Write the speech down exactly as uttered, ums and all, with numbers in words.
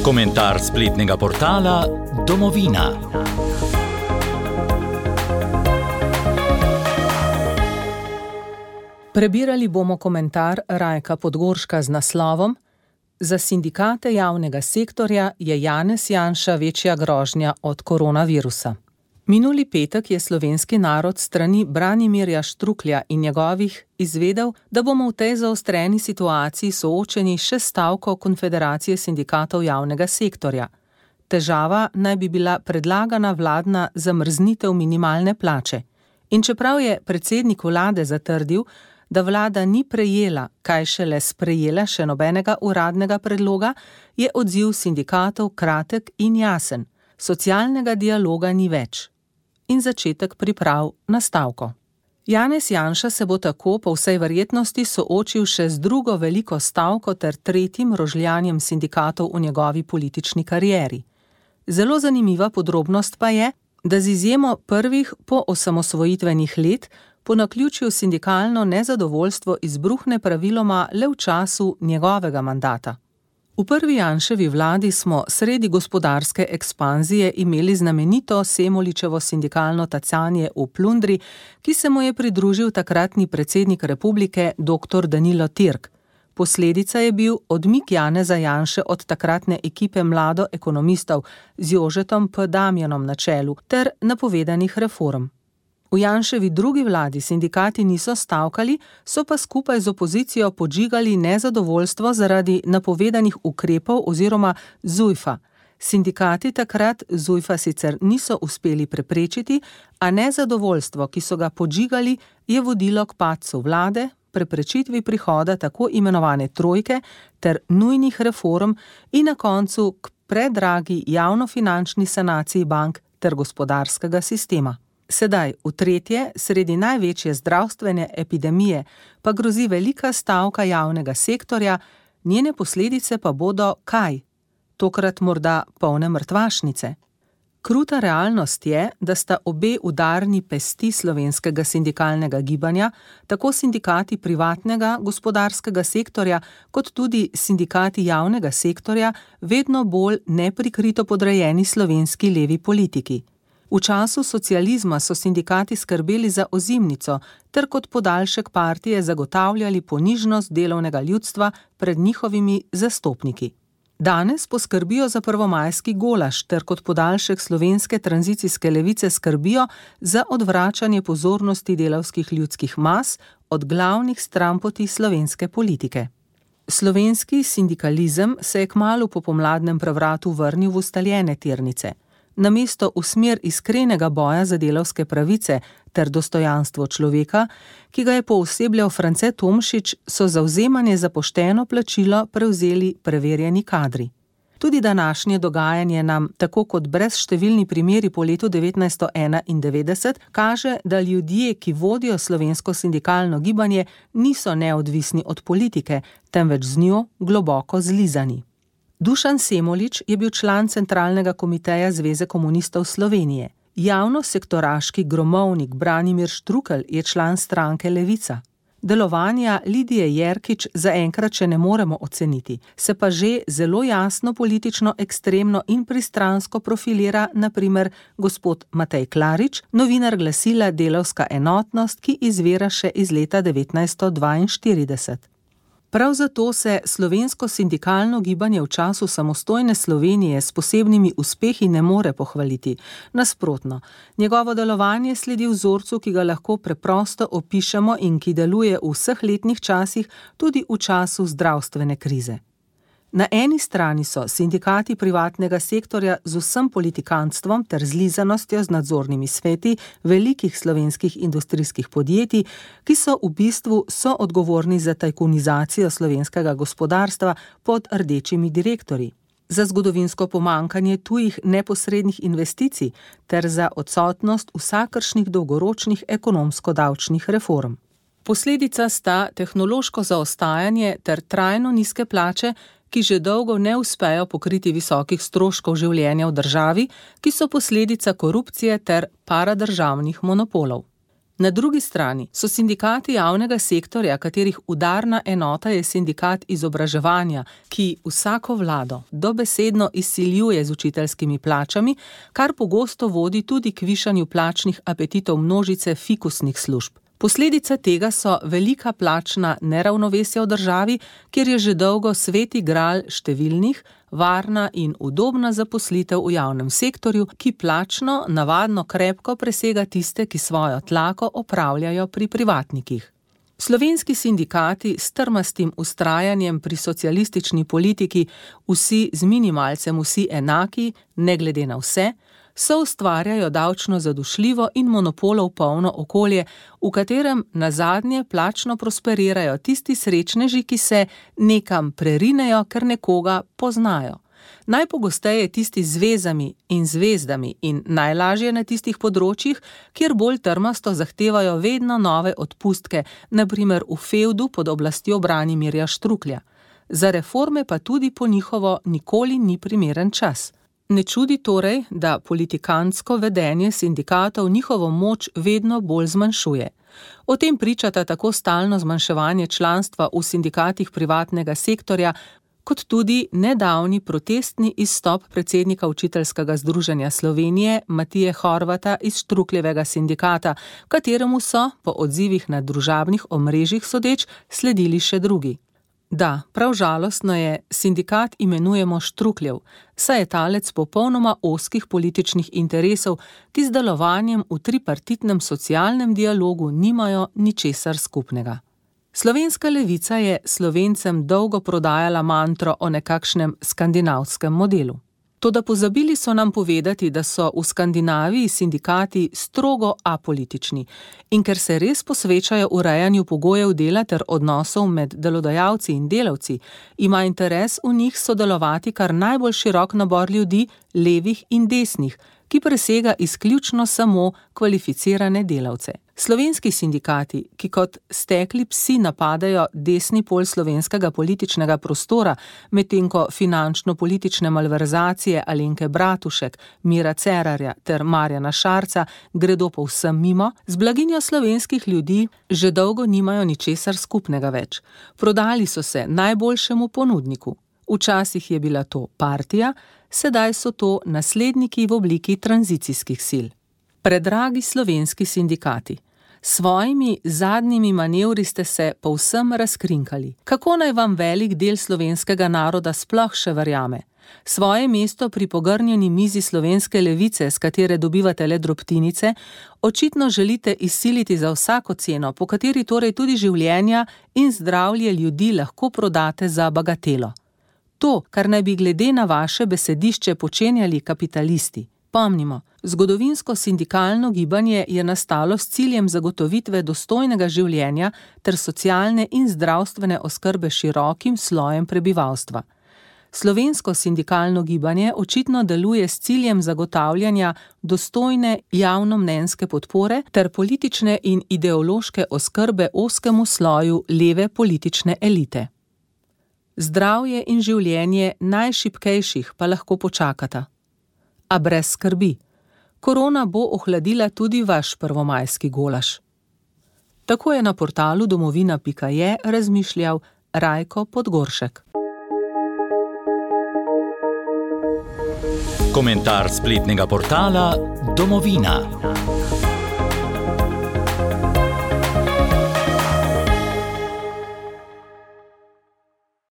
Komentar spletnega portala Domovina. Prebirali bomo komentar Rajka Podgorška z naslovom Za sindikate javnega sektorja je Janez Janša večja grožnja od koronavirusa. Minuli petek je slovenski narod strani Branimirja Štruklja in njegovih izvedel, da bomo v tej zaostreni situaciji soočeni še s stavko Konfederacije sindikatov javnega sektorja. Težava naj bi bila predlagana vladna zamrznitev minimalne plače. In čeprav je predsednik vlade zatrdil, da vlada ni prejela, kaj šele sprejela še nobenega uradnega predloga, je odziv sindikatov kratek in jasen. Socialnega dialoga ni več. In začetek priprav na stavko. Janez Janša se bo tako po vsej verjetnosti soočil še z drugo veliko stavko ter tretjim rožljanjem sindikatov v njegovi politični karieri. Zelo zanimiva podrobnost pa je, da z izjemo prvih po osamosvojitvenih let po naključju sindikalno nezadovoljstvo izbruhne praviloma le v času njegovega mandata. V prvi Janševi vladi smo sredi gospodarske ekspanzije imeli znamenito Semoličevo sindikalno tacanje v plundri, ki se mu je pridružil takratni predsednik republike doktor Danilo Türk. Posledica je bil odmik Janeza Janše od takratne ekipe mlado ekonomistov z Jožetom P. Damjanom na čelu ter napovedanih reform. V Janševi drugi vladi sindikati niso stavkali, so pa skupaj z opozicijo podžigali nezadovoljstvo zaradi napovedanih ukrepov oziroma Zujfa. Sindikati takrat Zujfa sicer niso uspeli preprečiti, a nezadovoljstvo, ki so ga podžigali, je vodilo k padcu vlade, preprečitvi prihoda tako imenovane trojke ter nujnih reform in na koncu k predragi javnofinančni sanaciji bank ter gospodarskega sistema. Sedaj, v tretje, sredi največje zdravstvene epidemije, pa grozi velika stavka javnega sektorja, njene posledice pa bodo kaj? Tokrat morda polne mrtvašnice. Kruta realnost je, da sta obe udarni pesti slovenskega sindikalnega gibanja, tako sindikati privatnega gospodarskega sektorja, kot tudi sindikati javnega sektorja, vedno bolj neprikrito podrejeni slovenski levi politiki. V času socializma so sindikati skrbeli za ozimnico ter kot podaljšek partije zagotavljali ponižnost delovnega ljudstva pred njihovimi zastopniki. Danes poskrbijo za prvomajski golaž ter kot podaljšek slovenske tranzicijske levice skrbijo za odvračanje pozornosti delavskih ljudskih mas od glavnih stranpoti slovenske politike. Slovenski sindikalizem se je kmalu po pomladnem prevratu vrnil v ustaljene tirnice. Namesto v smer iskrenega boja za delavske pravice ter dostojanstvo človeka, ki ga je poosebljal France Tomšič, so zavzemanje za pošteno plačilo prevzeli preverjeni kadri. Tudi današnje dogajanje nam, tako kot brezštevilni primeri po letu devetnajststo enaindevetdeset, kaže, da ljudje, ki vodijo slovensko sindikalno gibanje, niso neodvisni od politike, temveč z njo globoko zlizani. Dušan Semolič je bil član centralnega komiteja Zveze komunistov Slovenije. Javnosektoraški gromovnik Branimir Štrukelj je član stranke Levica. Delovanja Lidije Jerkič zaenkrat še ne moremo oceniti, se pa že zelo jasno politično ekstremno in pristransko profilira na primer gospod Matej Klarič, novinar glasila Delavska enotnost, ki izvira še iz leta devetnajststo dvainštirideset. Prav zato se slovensko sindikalno gibanje v času samostojne Slovenije s posebnimi uspehi ne more pohvaliti. Nasprotno, njegovo delovanje sledi vzorcu, ki ga lahko preprosto opišemo in ki deluje v vseh letnih časih, tudi v času zdravstvene krize. Na eni strani so sindikati privatnega sektorja z vsem politikantstvom ter zlizanostjo z nadzornimi sveti velikih slovenskih industrijskih podjetij, ki so v bistvu soodgovorni za tajkunizacijo slovenskega gospodarstva pod rdečimi direktorji, za zgodovinsko pomanjkanje tujih neposrednih investicij ter za odsotnost vsakršnih dolgoročnih ekonomsko-davčnih reform. Posledica sta tehnološko zaostajanje ter trajno nizke plače, ki že dolgo ne uspejo pokriti visokih stroškov življenja v državi, ki so posledica korupcije ter paradržavnih monopolov. Na drugi strani so sindikati javnega sektorja, katerih udarna enota je sindikat izobraževanja, ki vsako vlado dobesedno izsiljuje z učiteljskimi plačami, kar pogosto vodi tudi k višanju plačnih apetitov množice fikusnih služb. Posledica tega so velika plačna neravnovesja v državi, kjer je že dolgo sveti gral številnih, varna in udobna zaposlitev v javnem sektorju, ki plačno navadno krepko presega tiste, ki svojo tlako opravljajo pri privatnikih. Slovenski sindikati s trmastim vztrajanjem pri socialistični politiki, vsi z minimalcem, vsi enaki, ne glede na vse, so ustvarjajo davčno zadušljivo in monopolov polno okolje, v katerem nazadnje plačno prosperirajo tisti srečneži, ki se nekam prerinejo, ker nekoga poznajo. Najpogosteje tisti z vezami in zvezdami in najlažje na tistih področjih, kjer bolj trmasto zahtevajo vedno nove odpustke, na primer v fevdu pod oblastjo Branimirja Štruklja. Za reforme pa tudi po njihovo nikoli ni primeren čas. Ne čudi torej, da politikantsko vedenje sindikatov njihovo moč vedno bolj zmanjšuje. O tem pričata tako stalno zmanjševanje članstva v sindikatih privatnega sektorja, kot tudi nedavni protestni izstop predsednika Učiteljskega združenja Slovenije Matije Horvata iz Štrukljevega sindikata, kateremu so, po odzivih na družabnih omrežjih sodeč, sledili še drugi. Da, prav žalostno je, sindikat imenujemo Štrukljev, saj je talec popolnoma ozkih političnih interesov, ki z delovanjem v tripartitnem socialnem dialogu nimajo ničesar skupnega. Slovenska levica je Slovencem dolgo prodajala mantro o nekakšnem skandinavskem modelu. Toda pozabili so nam povedati, da so v Skandinaviji sindikati strogo apolitični in ker se res posvečajo urejanju pogojev dela ter odnosov med delodajalci in delavci, ima interes v njih sodelovati kar najbolj širok nabor ljudi, levih in desnih, ki presega izključno samo kvalificirane delavce. Slovenski sindikati, ki kot stekli psi napadajo desni pol slovenskega političnega prostora, medtem ko finančno-politične malverzacije Alenke Bratušek, Mira Cerarja ter Marjana Šarca gredo povsem mimo, z blaginjo slovenskih ljudi že dolgo nimajo ničesar skupnega več. Prodali so se najboljšemu ponudniku. Včasih je bila to partija, sedaj so to nasledniki v obliki tranzicijskih sil. Predragi slovenski sindikati, s svojimi zadnjimi manevri ste se povsem razkrinkali. Kako naj vam velik del slovenskega naroda sploh še verjame? Svoje mesto pri pogrnjeni mizi slovenske levice, s katere dobivate le drobtinice, očitno želite izsiliti za vsako ceno, po kateri torej tudi življenja in zdravje ljudi lahko prodate za bagatelo. To, kar naj bi glede na vaše besedišče počenjali kapitalisti. Pomnimo, zgodovinsko sindikalno gibanje je nastalo s ciljem zagotovitve dostojnega življenja ter socialne in zdravstvene oskrbe širokim slojem prebivalstva. Slovensko sindikalno gibanje očitno deluje s ciljem zagotavljanja dostojne javnomnenjske podpore ter politične in ideološke oskrbe ozkemu sloju leve politične elite. Zdravje in življenje najšibkejših pa lahko počakata. A brez skrbi, korona bo ohladila tudi vaš prvomajski golaž. Tako je na portalu domovina pika je razmišljal Rajko Podgoršek. Komentar spletnega portala Domovina.